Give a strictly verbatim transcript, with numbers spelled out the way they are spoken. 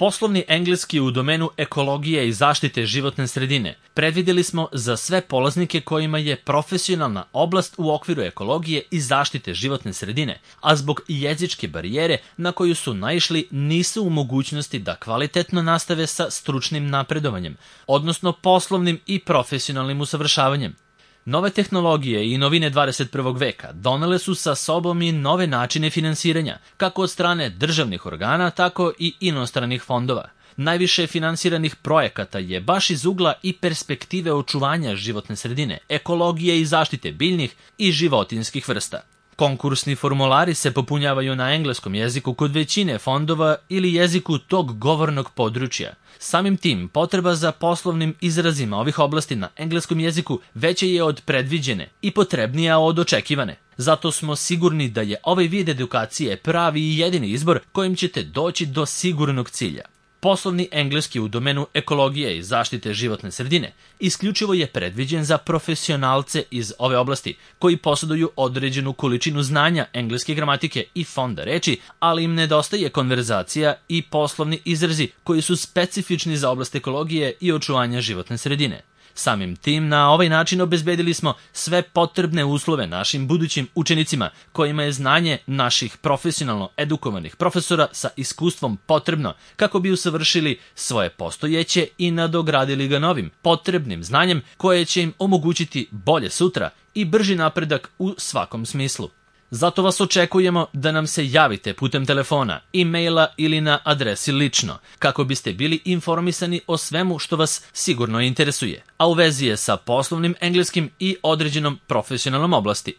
Poslovni engleski u domenu ekologije i zaštite životne sredine predvideli smo za sve polaznike kojima je profesionalna oblast u okviru ekologije i zaštite životne sredine, a zbog jezičke barijere na koju su naišli nisu u mogućnosti da kvalitetno nastave sa stručnim napredovanjem, odnosno poslovnim i profesionalnim usavršavanjem. Nove tehnologije i novine dvadeset prvog veka donele su sa sobom i nove načine finansiranja, kako od strane državnih organa, tako i inostranih fondova. Najviše finansiranih projekata je baš iz ugla i perspektive očuvanja životne sredine, ekologije i zaštite biljnih i životinjskih vrsta. Konkursni formulari se popunjavaju na engleskom jeziku kod većine fondova ili jeziku tog govornog područja. Samim tim, potreba za poslovnim izrazima ovih oblasti na engleskom jeziku veća je od predviđene i potrebnija od očekivane. Zato smo sigurni da je ovaj vid edukacije pravi i jedini izbor kojim ćete doći do sigurnog cilja. Poslovni engleski u domenu ekologije i zaštite životne sredine isključivo je predviđen za profesionalce iz ove oblasti koji posjeduju određenu količinu znanja engleske gramatike i fonda reči, ali im nedostaje konverzacija i poslovni izrazi koji su specifični za oblast ekologije i očuvanja životne sredine. Samim tim, na ovaj način obezbedili smo sve potrebne uslove našim budućim učenicima kojima je znanje naših profesionalno edukovanih profesora sa iskustvom potrebno kako bi usavršili svoje postojeće i nadogradili ga novim, potrebnim znanjem koje će im omogućiti bolje sutra i brži napredak u svakom smislu. Zato vas očekujemo da nam se javite putem telefona, e-maila ili na adresi lično, kako biste bili informisani o svemu što vas sigurno interesuje, a u vezi je sa poslovnim engleskim i određenom profesionalnom oblasti.